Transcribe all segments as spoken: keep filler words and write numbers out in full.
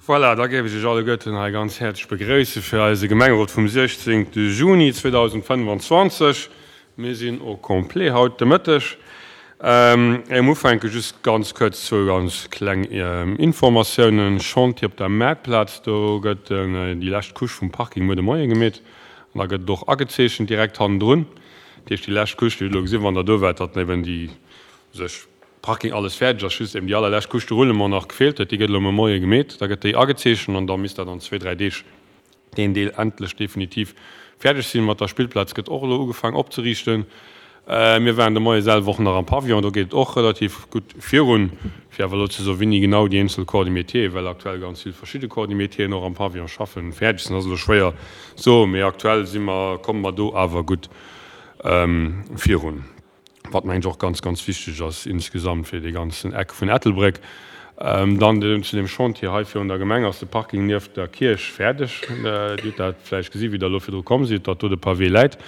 Voilà, da géif ech Iech alleguerten hei ganz häerzlech begréisse fir eise Gemengerot vum siechzéngte Juni zweedausendfënnefanzwanzeg. Mir sinn au complet haut de Mëtteg. Éier mer ufänken, just ganz kuerz zwou ganz kleng Informatiounen. Chantier op der Maartplaz, do gëtt déi lescht Couche vum Parking muer de Moie gemeet an da gëtt et och agezeechent direkt hannendrun. Dat heescht, déi lescht Couche, déi hutt elo gesinn, wann Der do waart, datt eben déi sech Parking alles fäerdeg ass, just eben déi allerlescht Couche de Roulement nach gefeelt huet, déi gëtt elo muer Moie gemeet, da gëtt déi agezeechent an da misst dat an zwee, dräi Deeg deen Deel endlech definitiv fäerdeg sinn. Mat der Spillplaz gëtt och elo ugefaang opzeriichten. Mir waren de Moie selwer och nach am Pavillon, do geet et och relativ gutt virun. Fir awer elo ze soen, wéini genau déi eenzel Corps de métier, well aktuell ganz vill verschidde Corps de métieren och am Pavillon schaffen, fäerdeg sinn, ass elo schwéier soen, mee aktuell si mer, komme mer do awer gutt virun. Wat mengen ech och ganz, ganz wichteg ass insgesamt fir dee ganzen Eck vun Ettelbréck. Dann zu deem Chantier hei virun der Gemeng ass de Parking nieft der Kierch fäerdeg. Dir hutt dat vläicht gesi wéi Der elo virdru komm sidd, datt do de Pavé läit.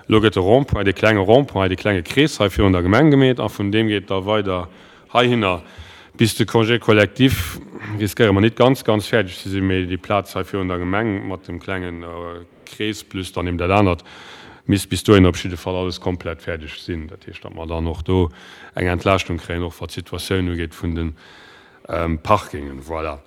Elo gëtt de Rond-point, dee klenge Rond-point, dee klenge Krees hei virun der Gemeng gemeet a vun deem geet da weider heihinner bis de Congé collectif. Riskéiere mer nit ganz, ganz fäerdeg ze sinn, mee déi Plaz hei virun der Gemeng mat dem klengen Krees plus dann eben dat anert misst bis dohinner op jidde Fall alles komplett fäerdeg sinn. Dat heescht, datt mer dann och do eng Entlaaschtung kréien, och wat d'Situatioun ugeet vun de Parkingen. Voilà.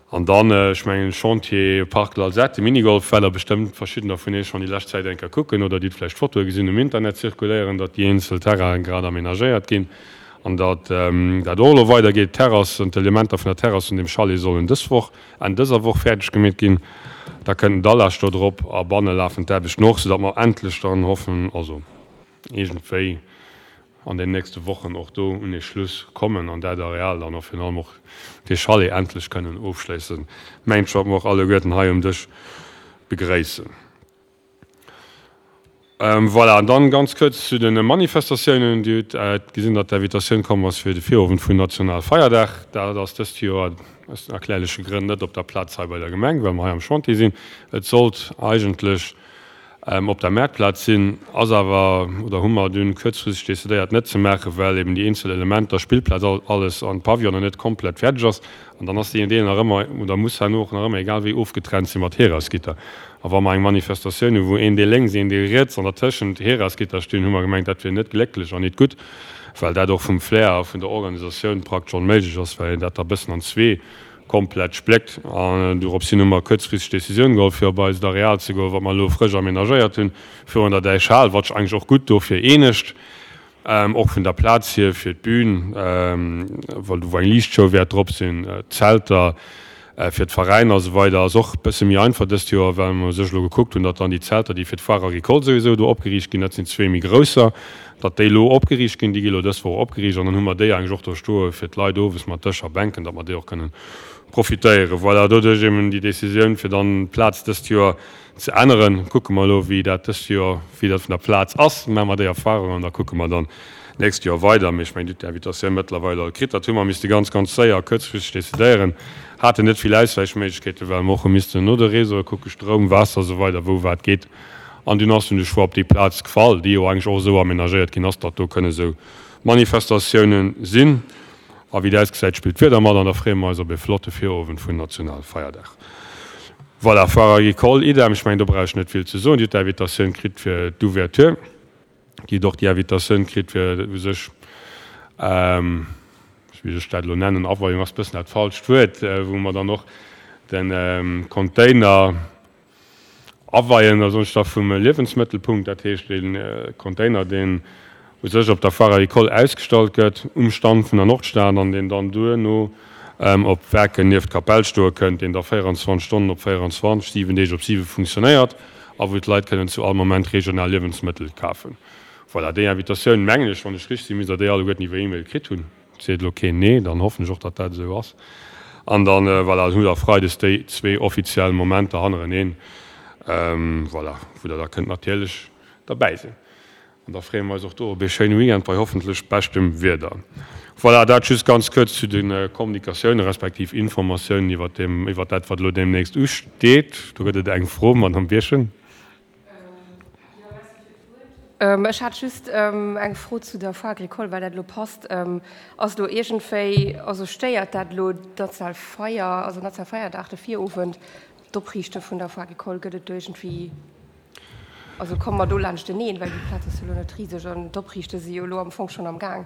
An dann, ech mengen, Chantier Parc Lalzette, de Minigolf, well der bestëmmt verschiddener vun Iech schonn déi lescht Zäit eng Kéier kucken oder déi vläicht Fotoe gesinn um Internet zirkuléieren, datt déi eenzel Terrainen grad amenagéiert ginn an datt dat och elo weidergeet. D'Terrass an d'Elementer vun der Terrass vun deem Chalet sollen dës Woch, Enn dëser Woch fäerdeg gemeet ginn. Da kënnt den Dallage do drop a banne lafen d'Aarbechten och, soudatt mer endlech dann hoffen, also iergendwéi an den nächste Wochen och do un ee Schluss kommen an dat Areal dann och virun allem och dee Chalet endlech kënnen ofschléissen. Mengt ech, wat mer och alleguerten hei um Dësch begréissen. Voilà, an dann ganz kuerz zu de Manifestatiounen. Dir hutt gesinn, datt d'Invitatioun komm ass fir de Virowend vun Nationalfeierdag. Dat ass dëst Joer aus erklärleche Grënn net op der Plaz hei bei der Gemeng, well mer hei am Chantier sinn. Et sollt eigentlech op der Maartplaz sinn, ass awer, oder hu mer dunn kuerzfristeg decidéiert net ze maachen, well eben déi eenzel Elementer, Spillplaz, alles an d'Pavillonen net komplett fäerdeg ass. An dann ass deen Deel nach ëmmer, oder muss herno och nach ëmmer, egal wéi, ofgetrennt si mat Heeresgitter. A wa mer eng Manifestatioun hu wou een Deel lénks, een Deel riets an dertëschent Heeresgitter stinn, hu mer gemengt, dat wier net glécklech an nit gutt, well dat och vum Flair a vun der Organisatioun praktesch onméiglech ass, well een dat da bëssen an zwee komplett spléckt. An doropshin hu mer kuerzfristeg d'Decisioun geholl, fir op eist Areal ze goen, wat mer elo frësch amenagéiert hunn, virun der Däichhal, wat sech eigentlech och gutt dofir eenegt, och vun der Plaz hier fir d'Bün, well do wou eng Liichtshow wäert drop sinn, d'Zelter fir d'Veräiner a sou weider, ass och e bësse méi einfach dëst Joer, well mer u sech elo gekuckt hunn, datt dann déi Zelter, déi fir d'Foire agricole souwisou do opgeriicht ginn, dat sinn zwee méi grousser, datt déi elo opgeriicht ginn, déi gi elo dës Woch opgeriicht an dann hu mer déi eigentlech och do stoe fir d'Leit owes mat Dësch a Bänken, datt mer déi och kënnen profitéieren. Voilà, doduerch eben déi Décisioun, fir dann d'Plaz dëst Joer ze änneren. Kucke mer elo, wéi dat dëst Joer, wéi dat vun der Plaz ass, maache mer déi Erfahrung an da kucke mer dann d'nächst Joer weider. Mee ech mengen, Dir hutt d'Invitatioun mëttlerweil all kritt. Dat hu mer misste ganz, ganz séier a kuerzfristeg decidéieren, haten net vill Auswäichméiglechkeeten, well mer och hu missten no de Réseaue kucken, Stroum, Waasser a sou weider, wou wat geet. An dunn ass dunn de Choix op déi Plaz gefall, déi jo eigentlech och esou amenagéiert ginn ass, datt do kënne sou Manifestatiounen sinn. A wéi et ausgesäit, spillt d'Wieder mat an da freeë mer eis op e flotte Virowend vun Nationalfeierdag. Voilà, Foire agricole, idem, ech mengen do brauch ech net vill ze soen. Dir hutt d'Invitatioun kritt fir d'Ouverture, Dir hutt och déi Invitatioun kritt fir u sech, wéi soll ech dat elo nennen, Aweiung ass e bëssen dat falscht Wuert, wou mer dann och de Container, Aweien a soss da vum Liewensmëttelpunkt, dat heescht dee Container, deen u sech op der Foire agricole ausgestallt gëtt, um Stand vun der Nordstad an deen dann duerno op Werken nieft d'Kapell stoe kënnt, deen da véierundzwanzeg Stonnen op véierundzwanzeg, siwen Deeg op siwe funktionéiert a wou d'Leit kënnen zu all Moment regional Liewensmëttel kafen. Voilà, déi Invitatioun, mengen ech, wann ech richteg sinn, misst Der déi alleguerten iwwer E-Mail kritt hunn. Seet elo keen Nee, dann hoffen ech och, datt dat esou ass. An dann, voilà, hutt Der freides déi zwee offiziell Momenter hannereneen, voilà, wou Der da kënnt natierlech derbäi sinn. An da freeë mer eis och do op ee schéine Weekend bei hoffentlech beschtem Wieder. Voilà, dat just ganz kuerz zu de Kommunikatiounen respektiv Informatiounen iwwert deem, iwwert dat, wat elo deemnächst usteet. Do gëtt et eng Fro, Madamm Birchen. Ech hat just eng Fro zu der Foire agricole, well dat elo passt. Ass elo iergendwéi, also stéiert dat elo d'national Feier, also national Feierdag, de Virowend, d'Opriichte vun der Foire agricole? Gëtt et do iergendwéi, also komme mer do laanschteneen, well déi Plaz ass jo elo net riseg an d'Opriichte si jo elo am Fong schonn am Gaang?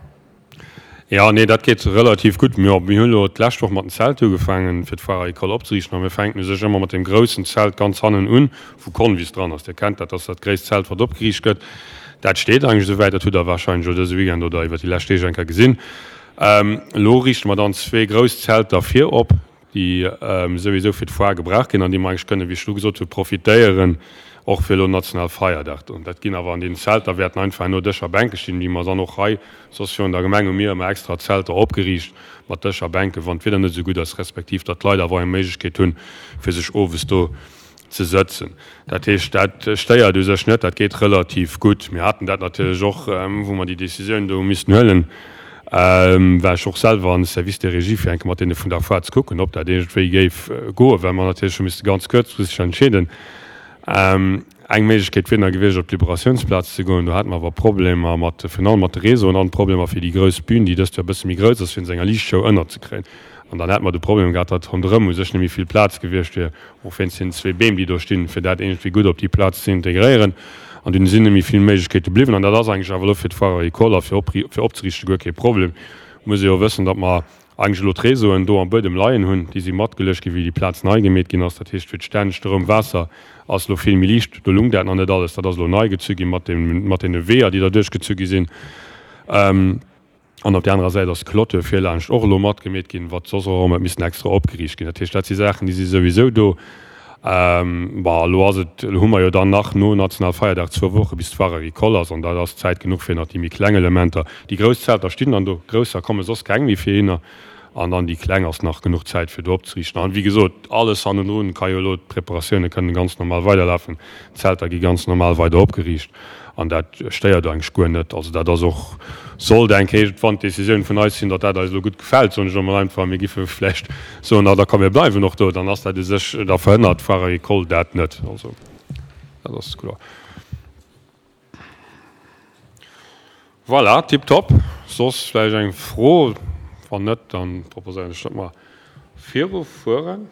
Jo, nee, dat geet relativ gutt. Mir hunn elo d'lescht Woch mat den Zelter ugefaangen, fir d'Foire agricole opzeriichten. A mir fänken u sech ëmmer mat deem groussen Zelt ganz hannen un, wou Convis dran ass. Dir kennt dat, dat ass dat gréisst Zelt, wat opgeriicht gëtt. Dat steet eigentlech esouwäit. Dat hutt Der warscheinlech elo dëse Weekend oder iwwer déi lescht Deeg eng Kéier gesinn. Elo riichte mer dann zwee grouss Zelter vir op, déi souwisou fir d'Foire gebraucht ginn an déi mer eigentlech kënnen, wéi ech elo gesot hunn, profitéieren, och fir elo Nationalfeierdag do. Dat ginn awer an deenen Zelter wäerten einfach herno Dëscher a Bänke stinn, wéi mer dann och hei soss virun der Gemeng hu mir ëmmer extra Zelter opgeriicht mat Dëscher a Bänken, wann d'Wieder net esou gutt ass, respektiv datt d'Leit awer och eng Méiglechkeet hunn, fir sech owes do ze sëtzen. Dat heescht, dat stéiert u sech net, dat geet relativ gutt. Mir haten dat natierlech och, wou mer déi Décisioun do hu missten huelen, war ech och selwer an de Service de régie, fir eng Kéier mat deene vun der Foire ze kucken, ob dat iergendwéi géif goen, well mer natierlech hu misste ganz kuerzfristeg entscheeden. Eng Méiglechkeet wier nach gewiescht, op d'Liberatiounsplaz ze goen. Do hate mer awer Problemer mat, virun allem mat de Réseauen an Problemer fir déi grouss Bühn, déi dëst Joer e bësse méi grouss ass, fir se enger Liichtshow ënnerzekréien. An dann hätte mer de Problem gehat, datt ronderëm u sech net méi vill Plaz gewiescht wier, och wéinst deenen zwee Beem, déi do stinn, fir dat iergendwéi gutt op déi Plaz ze integréieren. An dunn sinn net méi vill Méiglechkeete bliwwen. An dat ass eigentlech awer elo fir d'Foire agricole a fir fir opzeriichte guer kee Problem. Muss ee jo wëssen, datt mer eigentlech elo d'Réseauen do am Buedem leien hunn. Déi si matgeluecht ginn, wéi déi Plaz nei gemeet ginn ass. Dat heescht, fir d'Stänn, Stroum, Waasser ass elo vill méi liicht. Do lung dat nach net alles. Dat ass elo nei gezu gi mat deem, mat deene Weeër, déi derduerch gezu gi sinn. An op där anerer Säit ass d'Clôture virlaanscht och elo matgemeet ginn, wat soss och erëm huet missen extra opgeriicht ginn. Dat heescht, dat si Saachen, déi si souwisou do. Bon, elo ass et, elo hu mer jo dann nach no Nationalfeierdag zwou Woche bis d'Foire agricole ass, an dat ass Zäit genuch fir nach déi méi kleng Elementer. Déi grouss Zelter stinn dann do, grousser komme soss keng méi fir hinner, an dann déi kleng ass nach genuch Zäit fir do opzeriichten. An wéi gesot, alles hannendrun ka jo elo, d'Preparatioune kënnen ganz normal weiderlafen, d'Zelter gi ganz normal weider opgeriicht. An dat stéiert eigentlech guer net. Also dat ass och, sollt eng Kéier wann d'Décisioun vun eis sinn, datt dat eis elo gutt gefält, soen ech elo mol einfach, mir giffe vläicht soen, ah da komm mir bleiwen och do, dann ass dat u sech, da verhënnert d'Foire agricole dat net. Also dat ass kloer. Voilà, tiptop. Soss vläicht eng Fro? Wann net, dann proposéieren ech, datt mer virufueren.